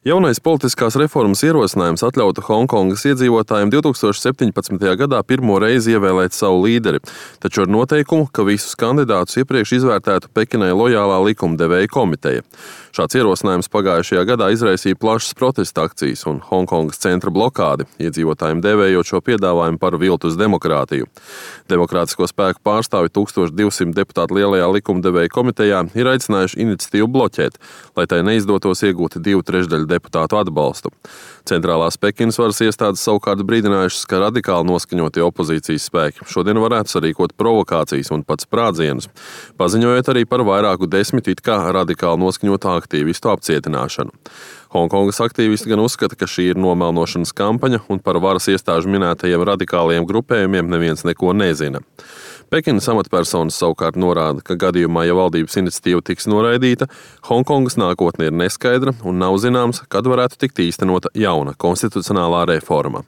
Jaunais politiskās reformas ierosinājums atļautu Honkongas iedzīvotājiem 2017. gadā pirmo reizi ievēlēt savu līderi, taču ar noteikumu, ka visus kandidātus iepriekš izvērtētu Pekinai lojālā likumdevēja komiteja. Šāds ierosinājums pagājušajā gadā izraisīja plašas protesta akcijas un Honkongas centra blokādi, iedzīvotājiem dēvējot šo piedāvājumu par viltus demokrātiju. Demokrātisko spēku pārstāvi 1200 deputātu lielajā likumdevēja komitejā ir aicinājuši iniciatīvu bloķēt, lai tai neizdotos iegūt 2/3 deputātu atbalstu. Centrālās Pekinas varas iestādes savukārt brīdinājušas, ka radikāli noskaņotie opozīcijas spēki šodien varētu sarīkot provokācijas un pat sprādzienus, paziņojot arī par vairāku 10 it kā radikāli noskaņotu aktīvistu apcietināšanu. Honkongas aktīvisti gan uzskata, ka šī ir nomelnošanas kampaņa un par varas iestāžu minētajiem radikāliem grupējumiem neviens neko nezina. Pekinas amatpersonas savukārt norāda, ka gadījumā, ja valdības iniciatīva tiks noraidīta, Honkongas nākotne ir neskaidra un nav zināms, kad varētu tikt īstenota jauna konstitucionālā reforma.